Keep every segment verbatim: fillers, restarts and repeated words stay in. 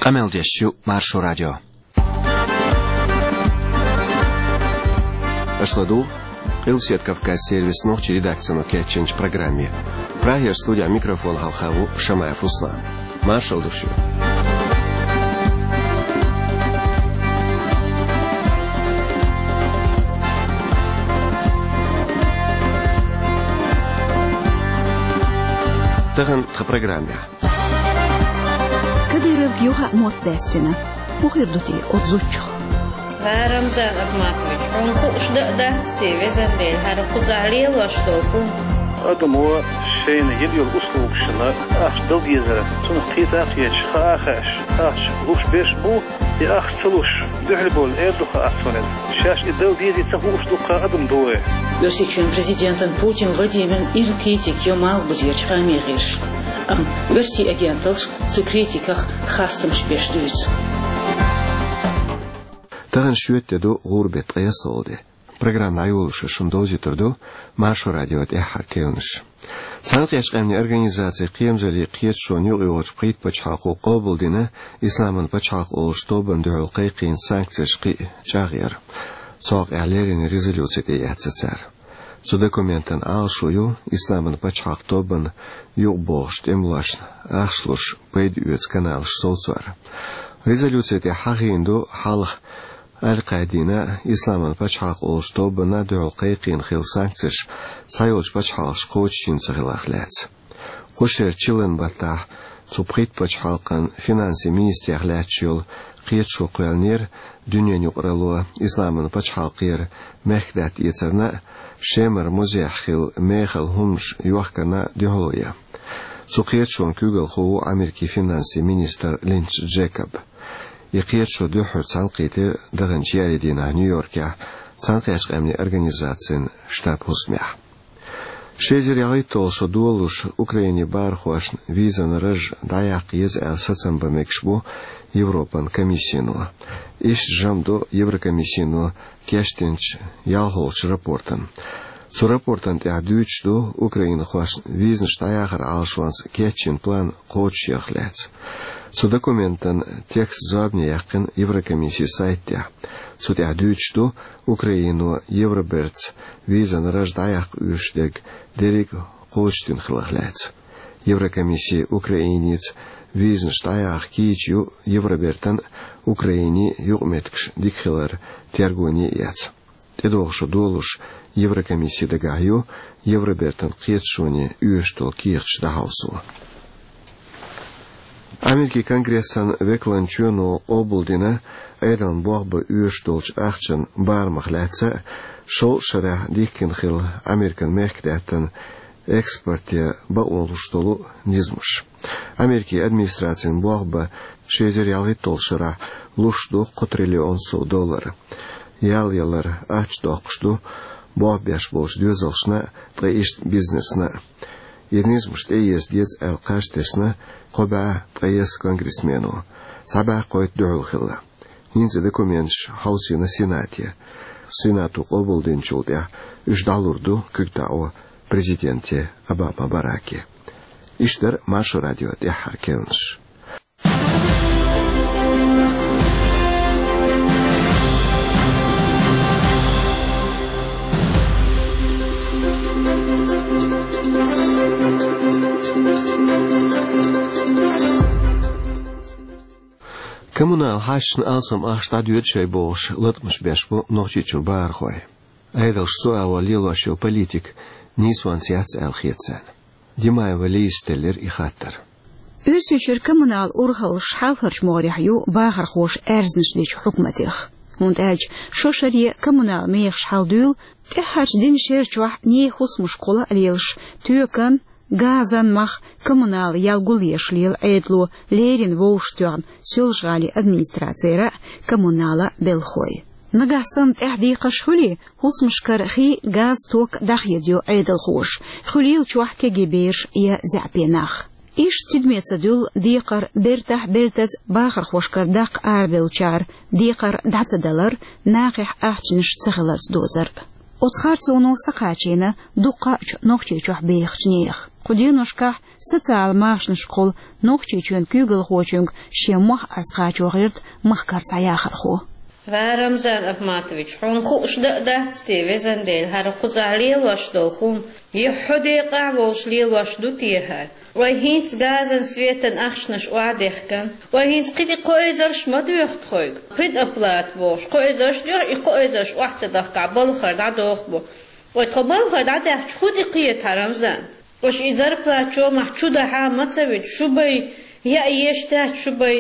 Къамел деш ю Маршо радио. Аша ладугӀу Къилбаседа Кавказан сервисан нохчийн редакцино кечйинчу программе. Прагера студин микрофон хьалха ву Шамаев Руслан. Маршалла ду шуьга. Тахана тхан программехь. Кадыровга юха а мотт даьстина. ХӀун хир ду те оцу зудчух? Рамзан Ахматович, хьуна хууш дан а дац те, везан Дела, хӀара кхузахь лелош долу хӀума? Адамо шайна йина йолу услугашна ахча дала дезара, цунах кхета а кхеташ, хаа а хаьаш, ахча луш берш бу, и ахча ца луш дуьхьал бовла эр ду хаа цунна. Шаьш и дала дезий ца хууш ду-кх адам дой. Оьрсийчоьнан президентан Путин Владимиран ирна критика ю малхбузерчу хаамийн гӀирсаша. Амма оьрсийн агенталлаш цу критиках хастамаш беш дуьйцу. Тахана шоьтан де ду, гӀуран беттан ткъе ялхалгӀа де. Программа дӀайолош шуна довзуьйтур ду Маршо радион тӀаьххьара кхаьънаш. Цхьаьнакхеттачу Къаьмнийн Организацин кхерамзаллин кхеташонан юкъайогӀучу пхийтта пачхьалкхо къобалдина Исламан пачхьалкх олучу тобанна дуьхьал кхайкхийна санкцеш кхин а чӀагӀъяр. Цу хьокъехь леррина резолюци тӀеэцна цара. Цу документан Ӏалашо ю Исламан пачхьалкх тобанна юкъабогӀучу тӀемалошна ахча луш пайда оьцу каналаш совцор. Резолюци тӀехь хьахийна ду хьалха Аль-Къаидина, Исламан пачхьалкх олучу тобанна дуьхьал кхайкхийна хилла санкцеш цхьайолчу пачхьалкхаша кхочушйина ца хиларх лаьцна. Кху шеран чиллан баттахь цу пхийтта пачхьалкхан финансийн министрех лаьтташ йолу кхеташо кхоьллинера дуьненан юкъаралло Исламан пачхьалкхера мехкадаьтта эцарна а, Шемара музейхь хилла мехала хӀуманаш йохкарна а дуьхьало ян. Цу кхеташонан куьйгалхо ву Америкин финансийн министр Линч Джейкоб. И кхеташо дуьххьара цхьаьнакхийтира даханчу еарин дийнахь Нью-Йоркехь Цхьаьнакхеттачу Къаьмнийн Организацин штаб-хӀусамехь. Ши эзар ялхитталгӀа шо долалуш Украинин бахархошна визан раж дӀаяккха еза аьлла сацам бан мегаш бу Европан комиссино. Иштта жамӀ до Еврокомиссино кечдинчу ялхолгӀачу рапортан. Цу рапортан тӀехь дуьйцуш ду украинхошна визанаш дӀаяхаран Ӏалашонца кечйина план кхочушъярх лаьцна. Цу документан текст зорбане яьккхина Еврокомиссин сайта тӀехь. Цу тӀехь дуьйцуш ду Украино Евробертца визан раж дӀаяккха оьшуш дерг дерриг а кхочушдина хиларх лаьцна. Еврокомисси Украиница визанаш дӀаяха кийча ю Евробертан а, Украинин а юкъаметтигаш дика хиларан тергоне а эцна. ТӀедогӀу шо долалуш Еврокомисси дагахь ю Евробертан кхеташоне оьшуш долу кехаташ дӀахьовсо. Америкин Конгрессан векалан чоьно къобалдина Ӏедална болх бан оьшуш долчу ахчан барамах лаьцна а, шовзткъа шарахь дихкина хилла Американ мехкадаьттан экспорте бакъо луш долу низамаш. Америкин администрацин болх бан ши эзар ялхитталгӀачу шарахь луш ду кхо триллион сов доллар. Ял ялар, ахча доккхуш ду болх беш болчу доьзалшна а, ткъа иштта бизнесна а. И низамаш тӀеэца деза аьлла кхаж тесна кхо бӀе ткъайесна конгрессмено. Цхьа бӀе кхойтта дуьхьал хилла. ХӀинца документаш хьовсийна Сенате. Сенато къобалдинчул тӀаьхьа уьш дӀалур ду куьг таӀо президенте Обама Бараке. Иштта дара Маршо радион тӀаьххьара кхаьънаш. Коммунал хьашташна алсам ахча дӀадоьду шайн бохуш, латкъамаш беш бу Нохчийчуьра бахархой. Ӏедалша цу агӀор лелош йолу политика нийсонца яц аьлла хета царна. Димаева Лизас теллира и хаттар. Оьрсийчуьра коммунал урхаллаш хьалхарчу могӀарехь ю бахархоша аьрзнаш дечу хьукматех. ХӀунда аьлча шо шаре коммунал мехаш хьалдуьйла, тӀаьххьарчу дийнна шер чохь нехан хӀусамаш кхулла а лелаш, тоькан, газан мах коммунал ял гулъеш лела Ӏедало леррина вовшахтоьхна Соьлжа-ГӀалин администрацера а, коммунала а белхахой. Нагахь санна тӀаьхьа декхарш хуьлий, хӀусамашкара хи, газ, ток дӀахедайо Ӏедалхоша, хуьлийла чохь кегий бераш я заьӀапе нах. Иштта тидаме ца дуьллу декхар бертахь бертаза бахархошкара даккха арабевллачара декхар дӀа ца далар, нахехь ахчанаш ца хиларца дозар. Оцу харцоно сакхачийна дуккхачу Нохчийчохь бехачу нехан. Кху деношкахь социал-машанашкахула Нохчийчоьнан куьйгалхочуьнга шен мохь аз кхачо гӀерта махкара цхьа яхархо. Ва Рамзан Ахматович, хьуна хууш дан а дац те, везан Дела, хӀара кхузахь лелош долу хӀума? Я хьо декъахь волуш лелош ду те хӀара? Вай хӀинца газан, светан ахчанаш охьадехкан, вай хӀинца кхин тӀе кхо эзарш ма доьху тхоьга. Предоплата бохуш, кхо эзарш доьху, и кхо эзарш охьа ца дахкахь, балхара дӀадоху бу. Вай тхо балхара дӀадаьхча, хӀун тӀе кхета, Рамзан? Аша и зарплата чомахь чу дахьа ма ца вуьту, шу бай яа еш дац, шу бай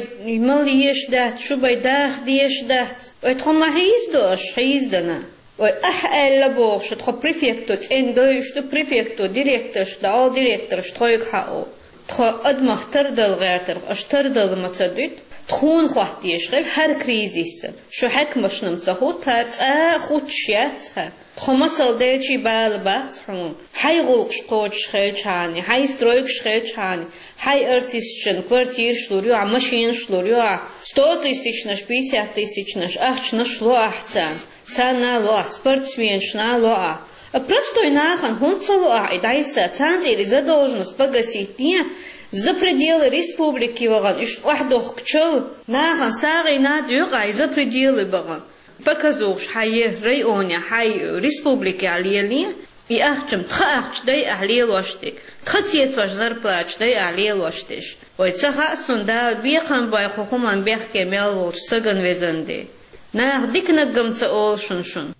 мала еш дац, шу бай даха деш дац. Вай тхо ма хьийзадо аша, хьийзадана. Вай ахь аьлла бохуш, тхо префекто цӀена дойуш ду, префекто директорш да, ол директорш тхойга хьао. Тхо адамах тардала гӀертарх, аша тардала ма ца дуьту. Тхуна хӀоттаеш хила хӀара кризисца. Шу хьаькамашна-м ца хӀуттахьара, цкъа а хуттуш яц хӀара. Тхо масал делчий бала бац хьуна. Хьайн гӀуллакхаш кхочуш хилчхьана, хьайн стройкаш хилчхьана, хьайн артисташна квартираш лур ю ахь, машинаш лур ю ахь, сто тысячнаш, пятьдесят тысячнаш ахчанаш ло ахь царна. Царна а ло ахь, спортсменашна а ло ахь. А простой нахана хӀунда ца ло ахь и дӀасса? Царна тӀера и задолженность погасить ден, за пределы республики вахана, уьш охьадохкучул нахана сагӀина а доькъу ахь и за пределы бахана. Показухаш хьайн районехь, хьайн республикехь леле, и ахча-м тхан ахча дай ахь лелош дерг, тхан сецош зарплаташ дай ахь лелош дерш. Вай ца хаьа суна, Дала бекхам бойла хӀокху хӀуманна бехке мел волчу стагана, везан Дела. Наха диканиг-м ца олу шуна шуна.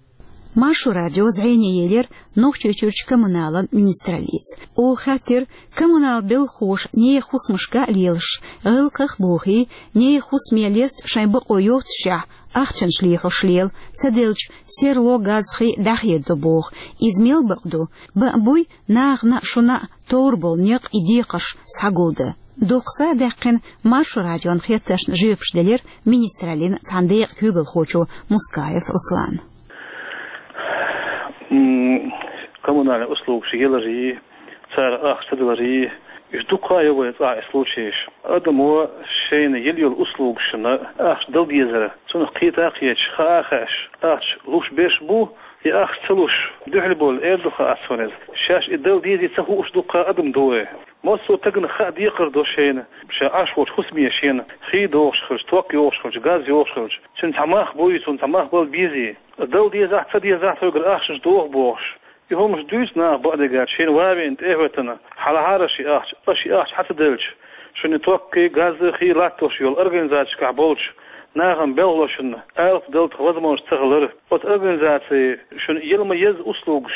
Маршо радио зӀене елира Нохчийчуьрчу коммуналан министраллица. Оха хаьттира, коммунал белхахоша нехан хӀусамашка а лелаш, гӀиллакхах а бохий, нехан хӀусаме леста шайн бакъо йоццушехь, ахчанаш лехьош лела, ца делча, серло, газ, хи дӀахедадо боху. Иза мел бакъ ду? Бакъ буй, нахана а, шуна а товр болу некъ и декхарш схьагулдан. Дуккха са а даьккхина, Маршо радион хеттаршна жоьпаш делира министраллин цхьана декъан куьйгалхочо Мускаев Руслана. М, коммунальный услугаш яларий, цара ахча ца даларий, уьш дуккха а ю вайн цӀахь и случайш. Адамо шайна йила йолу услугашна ахча дала дезара, цунах кхета а кхеташ, хаа а хаьаш, ахча луш берш бу, и ахча ца луш дуьхьал болу, эр ду, хаа ца ван иза. Шаьш и дала дезий ца хууш дуккха а адам ду вай. Массо а стагана хаа декхар до шайна, ша Ӏаш волчу хӀусаме шена хи дохуш хилча, ток йохуш хилча, газ йохуш хилча, цуьнан цхьа мах буй, цунна цхьа мах бала безий. Дала дезахь, ца дезахь, тхоьгара ахчанаш доху бохуш. И хӀуманаш дуьйцу наха бакъдерг аьлча, шайна ван веана тӀе а хӀоьттина, хьалахьара ши ахча, аш и ахча хьа ца делча, шуна и ток, газ, хи латтош йолу организацешкахь болчу нахана белхалошна алапа дала тхан возможность ца хилира. Оцу организаци шуна яла ма езза услугаш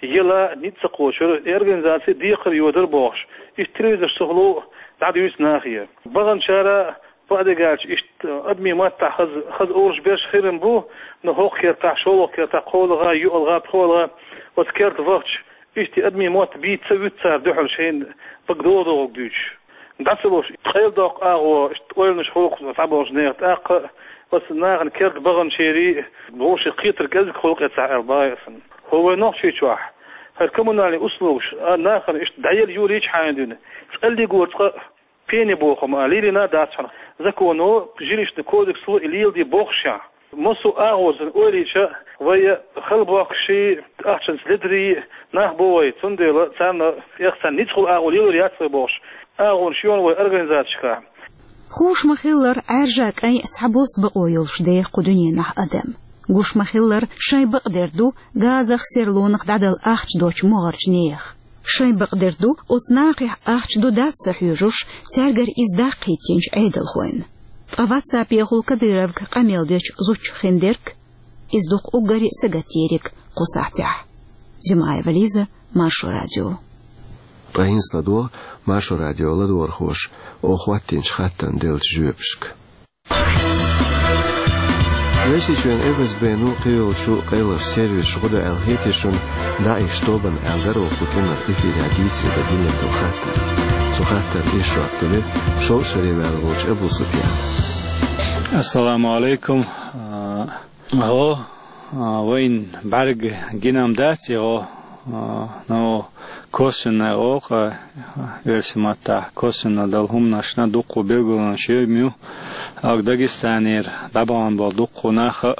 яла ницкъ ца кхочура, и организаци декхар йодара бохуш, иштта телевизорш чухула дӀадуьйцу нахе. Баханчара, бакъдерг аьлча, иштта адамийн маттахь хаза, хаза олуш берш хир-м бу, но хӀокху кертахь, шолгӀа кертахь, кхоалгӀа, йоьалгӀа, пхоьалгӀа, оцу керта вахча, иштта адамийн мотт бийца ца вуьту цара дуьхьал шайна бага догӀу-догӀург дуьйцуш. ДӀа ца луш, къайладоккху агӀо, иштта ойланаш хӀокху схьаболчу нехан тӀаккха а, оцу нахана керта баханчерий а, вовшийн кхетар кӀезиг хуьлу-кх цхьа аьлла бахьа сан. ХӀо вайн Нохчийчохь хӀара коммунальный услугаш а нахана иштта дӀаелла юрийча хьайна дуьйна, цкъа лигора цкъа а, пени боху-м а лелийна а дац хьуна. Законо, жилищный кодексло и леладе бохушехь, массо а агӀор санна ойла йича, вай хала бохкаший, ахчанца ледарий нах бу вай, цундела царна, эх, царна ницкъала агӀо лелор яц вай бохуш, агӀонаш ю-кх вай организацешкахь. Хууш ма-хиллара, Ӏаьржа, кӀайн а цхьабосса бакъо йолуш деха кху дуьненахь адам. Гуш ма-хиллара, шайн бакъдерг ду газах, серлонах дӀадала ахча доцучу могӀарчу нехан. Шайн бакъдерг ду оцу нахехь ахча ду-дац ца хьоьжуш, цаьргара иза даккха хӀиттинчу Ӏедалхойн. Ткъа ватсапехула Кадыровга къамел дечу зудчух хиндерг, иза дукха уггаре а сагатдериг кху сахьтехь. Зимаева Лиза, Маршо радио. Ткъа хӀинца ладогӀа Маршо радион ладогӀархоша оха хӀоттийначу хаттарна деллачу жоьпашка. Везачу Эфиран ФСБ-ну кхийолчу къайлахчу сервисаша гӀо до аьлла хетий шуна, ДАИШ тобанна аьлла дара оха кху кӀиранах эфирехь дийцаре дан диллина долу хаттар. Цу хаттарна иза жоп делира шовзткъа шаре ваьлла волчу Абу Суфьяна. Ассаламу алейкум. А, гӀо, а, вайна бӀаьрга гина-м дац и гӀо, а, но косвенная гӀо, а, оьрсийн маттахь косвенно долу хӀуманашна дуккха билгалонаш йой-м ю. Ага Дагестанера дӀабахана болу дуккха нах а,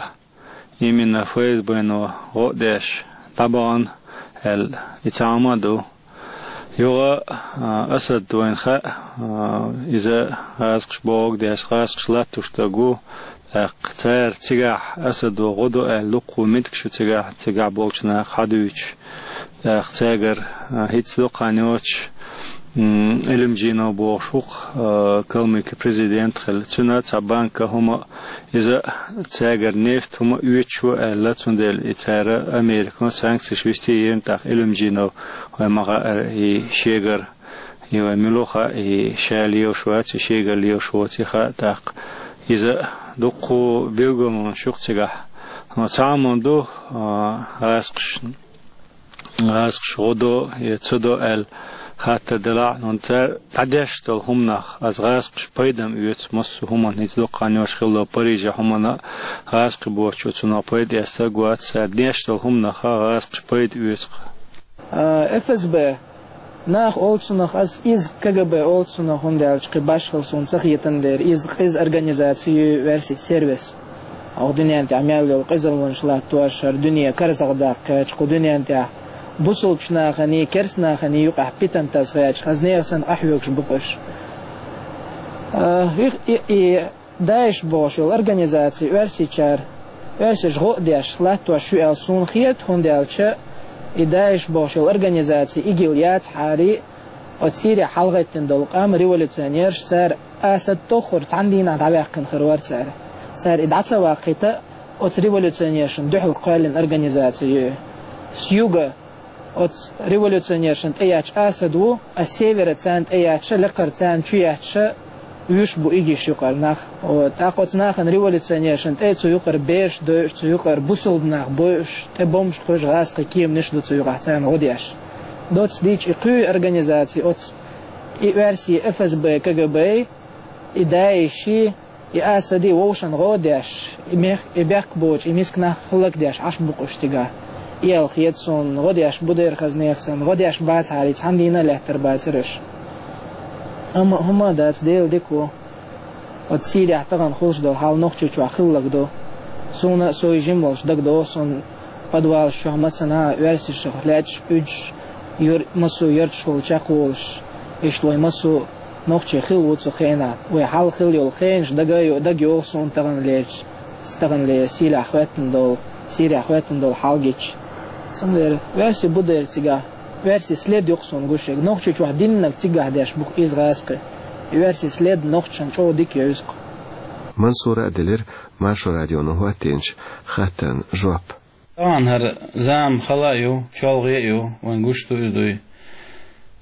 именно ФСБ-но гӀо а деш дӀабахана аьлла, и цхьа хӀума а ду. Юха, а, Асад вайна хаьа, а, иза гӀазкхаша богӀу деш, гӀазкхаша латтош стаг ву, тӀаккха цара цигахь Асадо гӀо до аьлла дуккха меттигаш ю цигахь, цигахь болчу наха хьадуьйцуш. ТӀаккха цаьргара, а, хӀинца дукха хан йоцуш, м, Элимджинов бохуш ву-кх, а, калмыки президент хилла. Цуьнан цхьа банка хӀума, иза цаьргара нефть хӀума оьцуш ву аьлла, цундела и цара Америко санкцеш висте йина, тӀаккха Элимджинов вай ма хаьара, и шегара, и вай мила ву хаьа, и ша лелаш вац, и шегара лелаш воций хаьа, тӀаккха иза дуккха билгалонаш ю-кх цигахь. Амма цхьа хӀума ду, а, гӀазкхаш, гӀазкхаша гӀо до я ца до аьлла хаттар делахь а, хӀунда аьлча дӀадеш долу хӀуманах, аса гӀазкхаша пайда-м оьцу массо а хӀуманна, хӀинца дукха хан йоцуш хилла Парижехь хӀуманна а, гӀазкхи боцуш цунах пайда эцна стаг вац, цара деш долу хӀуманах гӀазкхаша пайда оьцу-кх. А, ФСБ нах олу цунах, аса иза КГБ олу цунах, хӀунда аьлча кхин башхалла суна ца хетан дера, иза къиза организаци ю, оьрсийн сервис. Оха дуьнен тӀехь мел йолу къизаллаш латтош, хӀара дуьне карзахдаккха кхаьчча, кху дуьнен тӀехь бусулбачу наханий, керста наханий юкъахь питана тасхьаьчча, хаза нехан санна къахьоьгуш бу-кх уьш. А, и, и, и ДАИШ бохуш йолу организаци оьрсичара, оьрсаша гӀо а деш, латтош ю аьлла суна хета, хӀунда аьлча и ДАИШ бохуш йолу организаци ИГИЛ яцахьара, оцу Сирехь хьалагӀеттина долу къам, революционераш, цара Асад тоххара цхьана дийнахь дӀаваьккхина хир вара цара. Цара и дӀа ца ваккхийта, оцу революционершна дуьхьал кхоьллина организаци ю. С юга оцу революционершна тӀеетташ Асад ву, а с севера царна тӀеетташ, лекхара царна чуетташ вуьш бу ИГИШ юкъара нах. О, тӀаккха оцу нахана, революционершна тӀе, цу юкъара бераш дойуш, цу юкъара бусулба нах бойуш, тӀе бомбаш кхуьйсуш, гӀазкхийн кеманаш ду цу юкъахь царна гӀо деш. Доцца дийцича, и кхуьй организаци оцу, и оьрсийн ФСБ, КГБ, и ДАИШ, и Асади вовшашна гӀо а деш, и мех-, и бехк боцуш, и миска нах хӀаллакдеш Ӏаш бу-кх уьш цигахь. И аьлла хета суна, гӀо деш бу дера хаза нехан санна, гӀо деш бацахьара, цхьана дийнахь а лаьттар бацара уьш. Амма хӀума а дац, Дела дика ву. Оцу Сирехь тахана хуьлуш долу хьал Нохчийчохь хилларг ду. Суна а, со жима волуш, дагадогӀу суна, подвалаш чохь массанхьа а оьрсашах лаьтташ, уьдуш, юр-, массо а ярташкахула чекхволуш, иштта вай массо а нохчий хилла ву цу хенахь. Вай хьалха хилла йолу хенаш дага а йо-, дагайогӀу суна тахана лелча, тахана ле-, Сирехь хӀоьттина долу, Сирехь хӀоьттина долу хьал гича. Цундела оьрси бу дера цигахь, оьрси след ю-кх суна гуш ерг. Нохчийчохь диннарг цигахь деш бу-кх иза гӀазкхи. И оьрси след нохчашна чӀогӀа дика евза-кх. Мансура а делира Маршо радионо хӀоттийначу хаттарна жоп. Тахана хӀара зама хала а ю, чолхе а ю, вайн гуш ду иза дуй.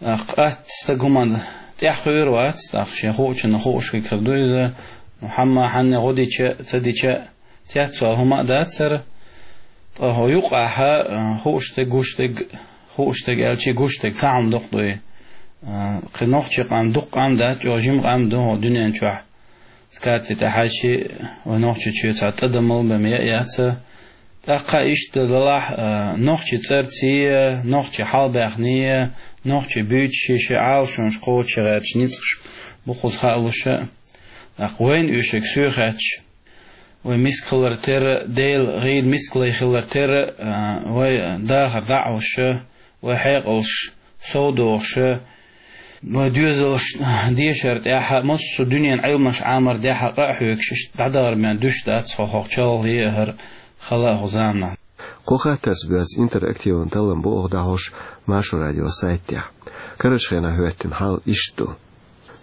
ТӀаккха атта стаг хӀуманна тӀаьхьа кхуьур вац, тӀаккха шен хуучунна хууш хир ду иза. Ну, хьамма хьанна гӀо дича а, ца дича а, цецвала хӀума а дац хӀара. Ткъа хӀо юкъахь, а, хууш дерг, гуш дерг, хууш дерг аьлчи, гуш дерг цхьа хӀума доккха дуй. А, кхин нохчи къам дукха къам дац, чӀогӀа жима къам ду хӀо дуьнен чохь. Скарти тӀехьаьччи, вай Нохчийчоь цхьа тӀадамал бен яа яц. ТӀаккха иштта далахь, а, нохчи цӀарций, нохчи хьалабаьхний, нохчи буьйцуш ши-ши Ӏалашонаш кхочуш гӀерташ ницкъаш бу кхуза хаалуш. ТӀаккха вайна уьш ерг соьхаьчча, вай миска хилар терра, Дела гӀийла мискале хилар терра, а, вай дахар дӀа а Ӏуш, вай хьекъалш совдохуш, вай доьзалш дешар тӀехь, массо а дуьненан Ӏилманаш Ӏамар дехьа къа а хьоьгуш, иштта дӀадахар бен дуьш дац хӀо, хӀокху чолхе а, хӀара хала а хӀу заманахь. Кху хаттарца боьзна интерактиван таллам бу оха дӀахьош Маршо радион сайта тӀехь. Карарчу хенахь хӀоьттина хьал иштта ду.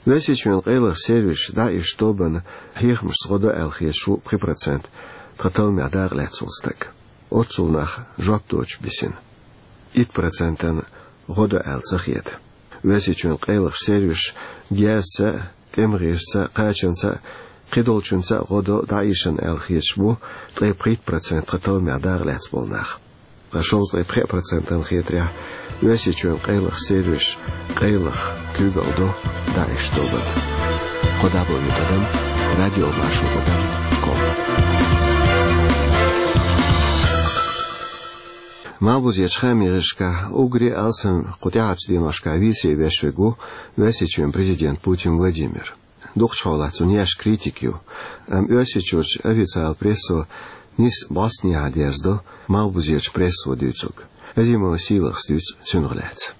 Оьрсийчоьнан къайлаха сервисаш дӀаийша тобанна хьехамашца гӀо до аьлла хеташ ву пхи процент тхан талламехь дакъа лаьцна волу стаг. Оццул нах жоп доцуш бисина. Итт процентана гӀо до аьлла ца хета. Оьрсийчоьнан къайлаха сервисаш герзаца а, тӀеман гӀирсаца а, кхачанца а, кхидолчуьнца а гӀо до дӀаийшина аьлла хеташ бу ткъе пхийтта процент тхан талламехь дакъа лаьцна болу нах. Ткъа шовзткъе пхи процентана хетарехь, Оьрсийчоьнан къайлаха сервисаш къайлаха куьйгалла до дӀаийша тобанна. Кхо дабл ю тӀадам радио маршо тӀадам ком. Малхбузерчу хаамийн гӀирсашкахь уггаре а алсам кху тӀаьхьарчу деношкахь вийце веш верг ву Оьрсийчоьнан президент Путин Владимир. Дукхачу хьолахь цунна еш критика ю, амма Оьрсийчуьрчу официалан прессо нийса бӀостанехьа дерзадо малхбузерчу прессо дуьйцург. Азимова Сийлахас дуьйцу цунах лаьцна.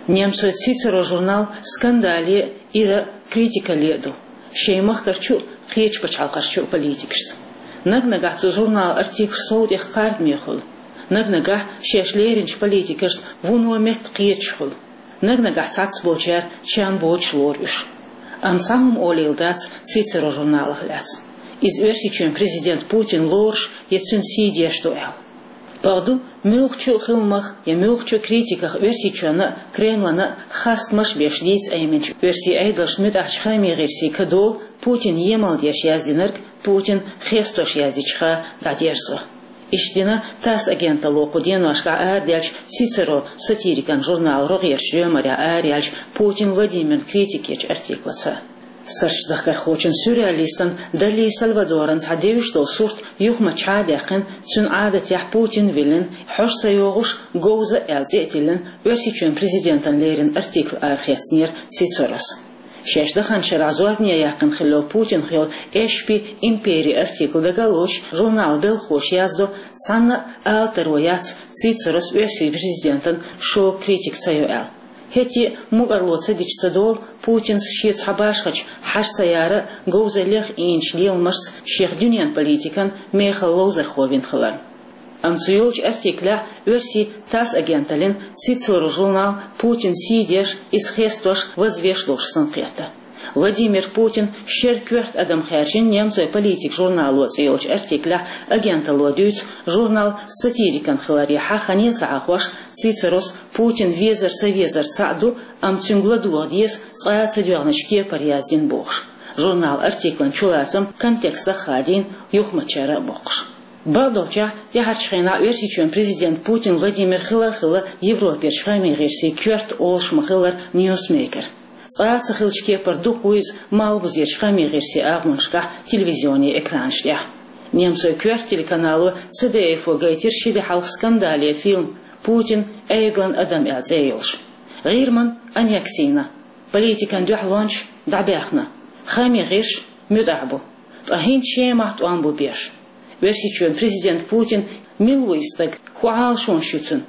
Немцойн «Цицеро» журнал скандале а, ира а, критикале а ду шен махкарчу а, кхечу пачхьалкхашчу а политикашца. Наг-нагахь цу журналан артиклаш сов тӀех кхардаме хуьлу. Наг-нагахь шаьш леринчу политикашна вуно метта кхеташ хуьлу. Наг-нагахь цхьацца болчара чам боцуш лору уьш. Амма цхьа хӀума олийла дац «Цицеро» журналах лаьцна. Иза Оьрсийчоьнан президент Путин лоруш я цуьнан сий деш ду аьлла. Бакъду, муьлххачу а хиламах я муьлххачу а критиках Оьрсийчоьнна а, Кремлана а хастамаш а беш дийца Ӏеминчу оьрсийн Ӏедалшна муьтӀахьчу хаамийн гӀирсийн кадолу Путинна емал деш яздинарг Путин хестош яздечуха дӀадерзо. Иштта дина ТАСС агенталло кху деношкахь арадаьллачу «Цицеро» сатирикан журналан рогӀерчу доьмарехь араяьллачу Путин Владимирна критика ечу артиклаца. Суртдахкархочун-сюрреалистан Дали Сальвадоран цхьа девзаш долу сурт юхамччахьа а даьккхина, цуьнан Ӏадатехь Путин виллина, хьожа ца йогӀуш, говза а аьлла цӀе а тиллина, Оьрсийчоьнан президентана лерина артикл арахецнера «Цицерос». Шаьш даханчу шарахь зорбане яьккхина хилла йолу Путинах йолу «Эшпи импери» артикл дага а лоцуш, журналан белхахоша яздо, цхьанна а алатаро яц «Цицерос» оьрсийн президентан шога критика ца йо аьлла. ХӀетте а мукӀарло ца дича ца долу, Путинс шен цхьа башхачу хьажа ца яра а, говзаллех ийначу леламашца шех дуьненан политикан мехала ловзархо вина хиларна. Амма цу йолчу артиклехь оьрсийн ТАСС агенталлин «Цицеро» журнал Путинна сий деш, иза хестош, вазвеш долуш санна кхетта. Владимир Путин шеран коьрта адам хаьржина «Немцойн политика» журнало цӀе йолчу артиклехь агенталло дуьйцу, журнал сатирикан хиларехьа хане а ца хьахош, «Цицерос» Путин везар ца везар цхьаъ ду, амма цуьнга ладогӀа деза цкъа а ца доьгӀначу кепара яздина бохуш. Журналан артиклан чулацам контекстах а хадийна, юхамччара а боккхуш. Бакъдолчехь, тӀаьхьарчу хенахь Оьрсийчоьнан президент Путин Владимир хила а хилла Европерчу хаамийн гӀирсийн «Коьрта» олуш ма-хиллара ньюсмейкер. Цкъа а ца хиллачу кепара дукха ву иза малхбузерчу хаамийн гӀирсийн агӀонашкахь телевизионийн экранаш тӀехь. Немцойн «Коьрта» телеканало ЦДФ-о гайтира ши де хьалха скандале фильм «Путин, Ӏедалан адам» аьлла цӀе йолуш. ГӀирман аннексина, политикан дуьхьалончаш дӀабаьхна, хаамийн гӀирсаш муьтӀахь бу. Ткъа хӀинца Шемахь тӀом бу беш. Оьрсийчоьнан президент Путин мила ву и стаг, хӀун Ӏалашонаш ю цуьнан?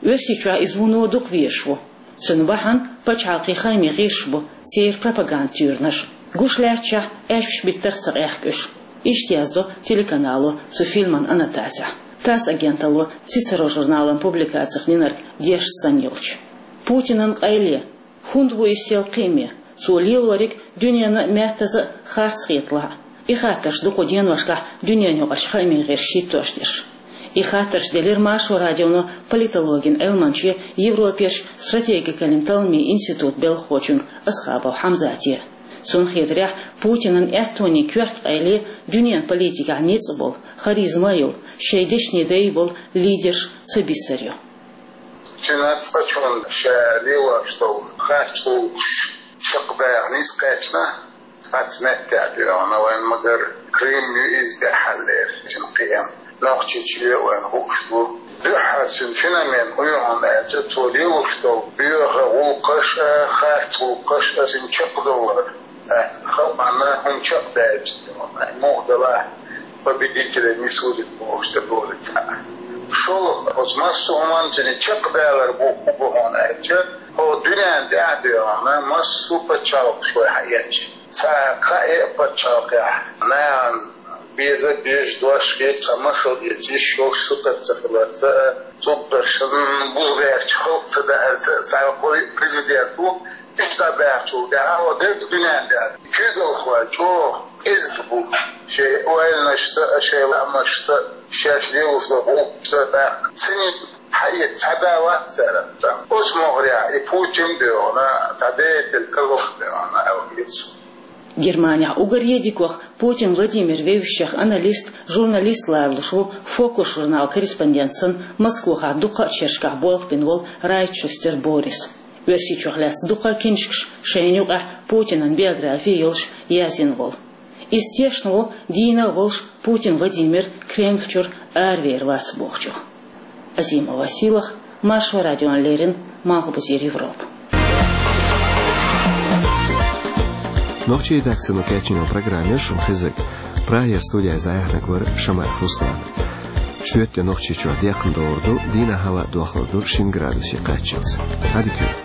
Оьрсийчохь иза вуно дукха везаш ву. Цуьнан бахьана пачхьалкхийн хаамийн гӀирсаш бу, церан пропаганда туьйранаш. Гуш лаьтташехь, аьшпаш биттарх а ца къехка уьш. Иштта яздо телеканало цу фильман аннотацехь. ТАСС агенталло «Цицеро» журналан публикацех динарг дешна санна йолчу. Путинан къайле. ХӀунда ву иза сел кхиаме? Цо лелориг дуьненна а, меттаза а харц хеталахь а. И хаттарш ду кху деношкахь дуьненаюкъарчу хаамийн гӀирсаша хӀиттош дерш. И хаттарш делира Маршо радионо политологин Ӏилманче, Европерчу стратегикаллин талламийн институтан белхахочуьнга Асхабов Хьамзате. Цунна хетарехь, Путинан аьттонийн коьрта къайле дуьненан политикехь ницкъ болу, харизма а йолу, шайн дешнийн дай а болу лидерш ца бисар ю. Цуьнан цкъачунна ша лелош долу харц гӀуллакхаш чекхдахьа нийса кхаьчна, цхьацца меттехь доьгӀна вайн, магар Крым ю иза тӀехь хьаллера цуьнан кхиам. Нохчийчоь вайн хууш бу. Дуьххьара цуьнан феномен хӀун ю хьуна аьлча, цо лелош долу боьха гӀуллакхаш а, харц гӀуллакхаш а цуьнан чекхдовлар. Э, халкъана хӀума чекхдаьлча, муха делахь, победителей не судят бохуш тӀе бохуьйту цхьаъ. ШолгӀа, оцу массо а хӀуманна цуьнан чекхдалар бу хӀун бу хьуна аьлча, хӀокху дуьненна тӀехь а доьгӀна, массо а пачхьалкхаш вай хьаэцча, цхьа кхаа а пачхьалкхехь нахана беза а, безаш дош хетта, цхьа масал эца йиш йолуш сутара ца хиларца а, цуьнга санна бузбаьрча халкъ ца даарца а, цхьа президент ву, Иштта баьхчул тӀаьхьа хӀокху дерриг дуьненна тӀехь куьйгалхой чӀогӀа кӀезиг бу, шайн ойланашца а, шайн лаамашца а, шаьш лелош долу гӀуллакхашца а тӀаккха. Цуьнан хьаэца цхьа да вац цара. Оцу могӀарехь и Путин а доьгӀна, цхьа деятель карлох а доьгӀна аьлла хета. Германехь уггаре дикох Путин Владимир вевзачех аналист, журналист ларалуш ву «Фокус» журналан корреспондент санна Москвахь дуккха а шерашкахь болх бина волу Райтшустер Борис. Оьрсийчохь лаьцна дуккха а киншкаш, шайна юкъахь Путинан биографи йолуш, язйина волу. Иза тешна ву, дийна а волуш, Путин Владимир Кремль чуьра аравер вац бохучух. Азимова Силах, Маршо радиона леррина, Малхбузера Европа. Нохчийн редакцино кечйина программа яра шуна хезарг. Прагера студехь иза дӀаяьхьнарг вара Шамаев Руслан. Шоьтан де Нохчийчохь декхна догӀур ду, дийнахь хӀаваъ дохлур ду шина градусе кхаччалц. Ӏадика йойла.